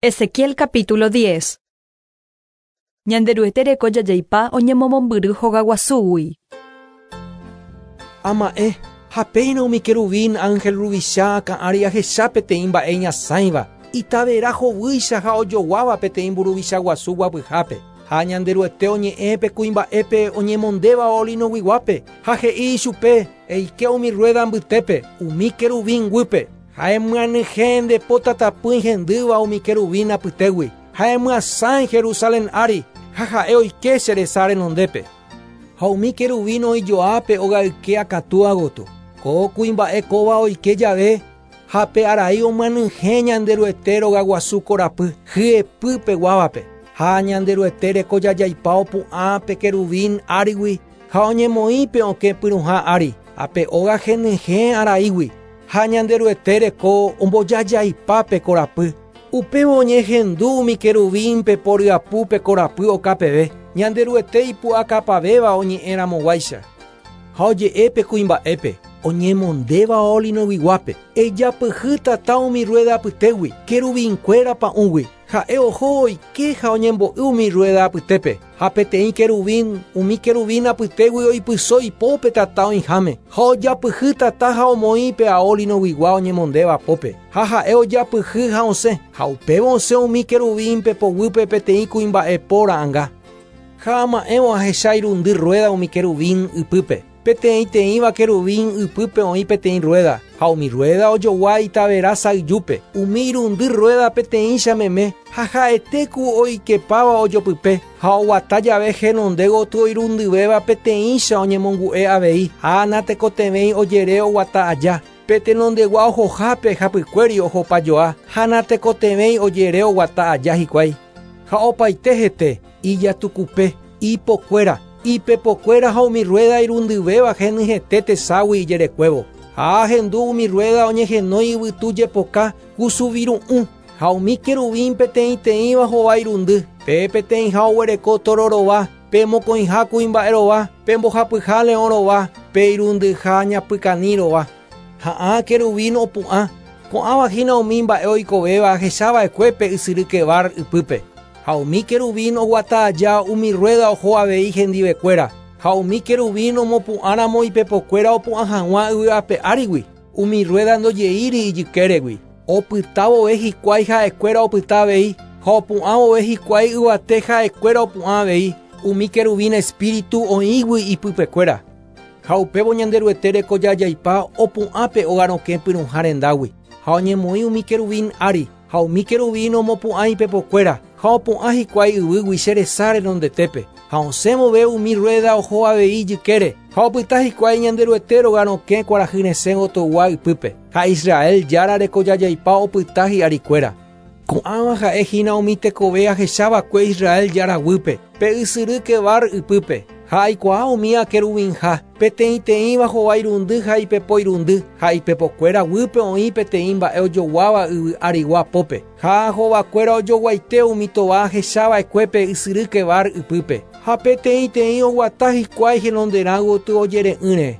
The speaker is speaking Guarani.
Ezequiel capítulo 10. Ñanderuete reko jajaipa oñemomombyry hogaguasúgui. Ama'ẽ, ha péina umi querubín ángel ruvicha akã ári ahecha peteĩ mba'e iñasãiva, itavera hovýicha ha ojoguáva peteĩ mburuvicha guasu guapyhápe. Ha Ñanderuete oñe'ẽ pe kuimba'épe oñemondéva olinoguiguápe, ha he'i ichupe, Eike umi ruéda mbytépe, umi querubín guýpe, Ha emyanyhẽ nde po tatapỹi hendýva umi keruvín apytégui, ha emyasãi Jerusalén ári, ha ha'e oike che resa renondépe. Ha umi keruvín oĩ joa pe ogayke akatúa gotyo. Ko kuimba'e kóva oike jave, ha pe arai omyanyhẽ Ñanderuete rogaguasu korapy hyepy peguávape. Ha Ñanderuete reko jajaipa opu'ã pe keruvín árigui ha oñemoĩ pe okẽ pyrũha ári, ha pe óga henyhẽ araígui. Ha Ñanderuete reko ombojajaipa pe korapy. Upévo oñehendu umi querubín pepo ryapu pe korapy oka peve, Ñanderuete ipu'akapavéva oñe'ẽ ramoguáicha. Ha oje'e pe kuimba'épe, oñemondéva ao linoguiguápe, Ejapyhy tata umi rruéda apytégui, querubinkuéra pa'ũgui. Ha'e oho oike ha oñembo'y umi rruéda apytépe, ha peteĩ querubín, umi querubín apytégui oipyso ipo pe tata oĩháme, ha ojapyhy tata ha omoĩ pe ao linoguigua oñemondéva pópe, ha ha'e ojapyhy ha osẽ, ha upévo osẽ umi querubín pepo guýpe peteĩ kuimba'e po ra'ãnga. Ha ama'ẽvo ahecha irundy rruéda umi querubín ypýpe. Peteĩteĩva querubín ypýpe oĩ peteĩ rruéda, ha umi rruéda ojogua itavera sayjúpe, umi irundy rruéda peteĩcha meme, ha ha'ete ku oikepáva ojopype, ha oguata jave henonde gotyo irundyvéva peteĩcha oñemongu'e avei, ha natekotevẽi ojere oguata aja. Pe tenondegua ohohápe hapykuéri ohopajoa, ha natekotevẽi ojere oguata aja hikuái. Ha opaite hete, ijatukupe, ipokuéra, ipepokuéra ha umi rruéda irundyvéva henyhẽte teságui ijerekuévo. Ha ahendu umi rruéda oñehenói yvytu jepoka kusuviru'ũ, ha umi keruvín peteĩteĩva hova irundy, pe peteĩha oguereko tóro rova, pe mokõiha kuimba'e rova, pe mbohapyha leõ rova, pe irundyha ñapykani rova. Ha ã querubín opu'ã, ko'ãva hína umi mba'e oikovéva ahecha va'ekue pe ysyry Quebar ypýpe. Ha umi querubín oguata aja umi rruéda oho avei hendivekuéra, ha umi querubín omopu'ã ramo ipepokuéra opu'ã hag̃ua yvy ape árigui, umi rruéda ndojeíri ijykéregui. Opyta vove hikuái ha'ekuéra opyta avei, ha opu'ã vove hikuái yvate ha'ekuéra opu'ã avei, umi querubín espíritu oĩgui ipypekuéra. Ha upévo Ñanderuete rekojajaipa opu'ã pe óga rokẽ pyrũha rendágui, ha oñemoĩ umi querubín ári, ha umi querubín omopu'ã ipepokuéra, ha opu'ã hikuái yvýgui che resa renondetépe, ha osẽ vove umi rruéda oho avei ijykére, ha opyta hikuái Ñanderuete róga rokẽ kuarahy resẽ gotyogua ypýpe, ha Israel Jára rekojajaipa opyta hi'arikuéra. Ko'ãva ha'e hína umi tekove ahecha va'ekue Israel Jára guýpe, pe ysyry Quebar ypýpe, ha aikuaa umi akeruvinha, peteĩteĩva hova irundy ha ipepo irundy, ha ipepokuéra guýpe oĩ peteĩ mba'e ojoguáva yvy arigua pópe, ha hovakuéra ojoguaite umi tova ahecha va'ekue pe ysyry Quebar ypýpe, ha peteĩteĩ oguata hikuái henonderã gotyo ojere'ỹre.